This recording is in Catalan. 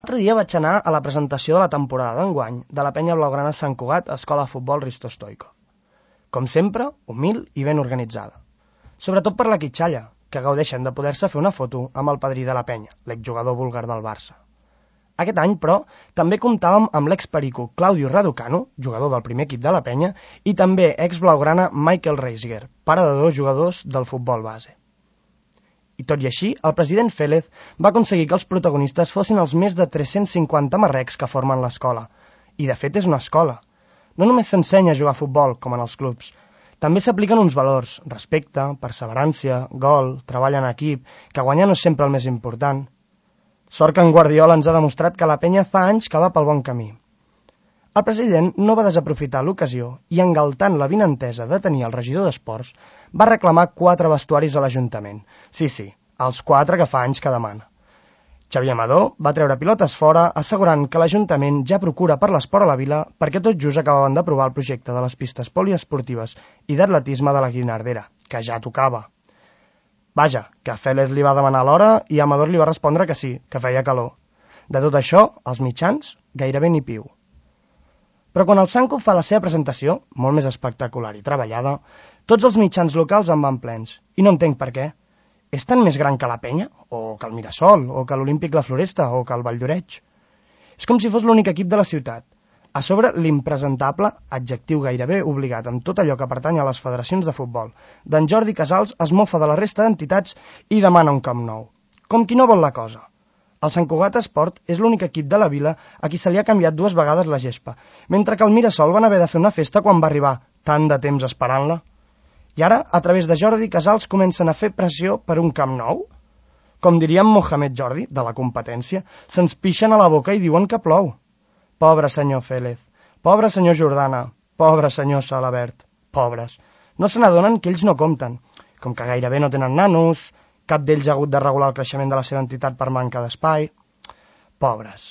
L'altre dia vaig anar a la presentació de la temporada d'enguany de la penya blaugrana Sant Cugat, Escola de Futbol Risto Stoico. Com sempre, humil i ben organitzada. Sobretot per la quitxalla, que gaudeixen de poder-se fer una foto amb el padrí de la penya, l'exjugador búlgar del Barça. Aquest any, però, també comptàvem amb l'experico Claudio Raducanu, jugador del primer equip de la penya, i també ex-blaugrana Michael Reisger, pare de 2 jugadors del futbol base. I tot i així, el president Félez va aconseguir que els protagonistes fossin els més de 350 marrecs que formen l'escola. I de fet és una escola. No només s'ensenya a jugar a futbol, com en els clubs. També s'apliquen uns valors, respecte, perseverància, gol, treball en equip, que guanyar no és sempre el més important. Sort que en Guardiola ens ha demostrat que la penya fa anys que va pel bon camí. El president no va desaprofitar l'ocasió i, engaltant la vinentesa de tenir el regidor d'Esports, va reclamar 4 vestuaris a l'Ajuntament. Sí, els 4 que fa anys que demana. Xavier Amador va treure pilotes fora, assegurant que l'Ajuntament ja procura per l'esport a la vila perquè tot just acabaven d'aprovar el projecte de les pistes poliesportives i d'atletisme de la Guinardera, que ja tocava. Vaja, que Félez li va demanar l'hora i Amador li va respondre que sí, que feia calor. De tot això, els mitjans, gairebé ni piu. Però quan el Sanco fa la seva presentació, molt més espectacular i treballada, tots els mitjans locals en van plens. I no entenc per què. És tan més gran que la penya? O que el Mirasol? O que l'Olímpic La Floresta? O que el Vall d'Oreig? És com si fos l'únic equip de la ciutat. A sobre, l'impresentable, adjectiu gairebé obligat amb tot allò que pertany a les federacions de futbol, d'en Jordi Casals es mofa de la resta d'entitats i demana un Camp Nou. Com qui no vol la cosa. El Sant Cugat Esport és l'únic equip de la vila a qui se li ha canviat 2 vegades la gespa, mentre que el Mirasol van haver de fer una festa quan va arribar, tant de temps esperant-la. I ara, a través de Jordi Casals, comencen a fer pressió per un Camp Nou? Com diria en Mohamed Jordi, de la competència, se'ns pixen a la boca i diuen que plou. Pobre senyor Félez, pobre senyor Jordana, pobre senyor Salabert, pobres. No se n'adonen que ells no compten, com que gairebé no tenen nanos, cap d'ells ha hagut de regular el creixement de la seva entitat per manca d'espai. Pobres.